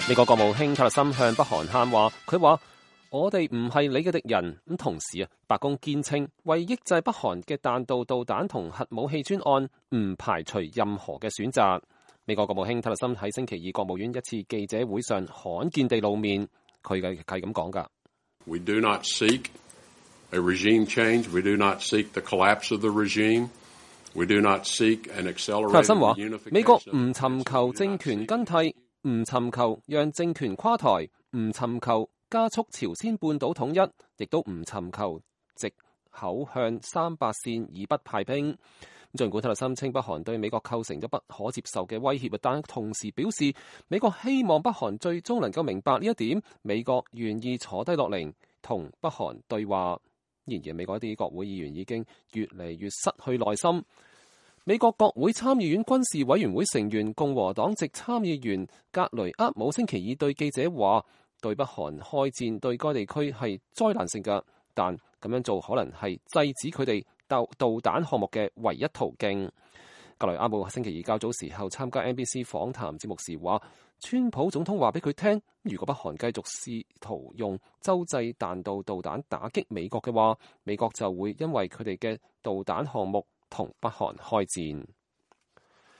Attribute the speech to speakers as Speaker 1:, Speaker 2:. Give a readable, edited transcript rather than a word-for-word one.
Speaker 1: 美國國務卿塔勒森向北韓喊話，佢話我哋唔係你嘅敵人。咁同時白宮堅稱為抑制北韓嘅彈道導彈同核武器專案，唔排除任何嘅選擇。美國國務卿塔勒森喺星期二國務院一次記者會上罕見地露面，佢係咁講㗎。
Speaker 2: We do not seek a regime change. We do not seek the collapse of the regime. We do not seek an accelerated unification. 塔勒森話：美國唔尋求政權更替，唔尋求讓政權垮台，唔尋求加速朝鮮半島統一，亦都唔尋求藉口向300線以北派兵。儘管塔勒森稱北韓對美國構成咗不可接受嘅威脅，但同時表示美國希望北韓最終能夠明白呢一點，美國願意坐低落嚟同北韓對話。然而，美國一啲國會議員已經越嚟越失去耐心。美國國會參議院軍事委員會成員共和黨籍參議員格雷厄姆星期二對記者話：對北韓開戰對該地區係災難性嘅，但咁樣做可能係制止佢哋導彈項目嘅唯一途徑。格雷厄姆星期二較早時候參加 NBC 訪談節目時話：川普總統話俾佢聽，如果北韓繼續試圖用洲際彈道導彈打擊美國嘅話，美國就會因為佢哋嘅導彈項目同北韓開戰。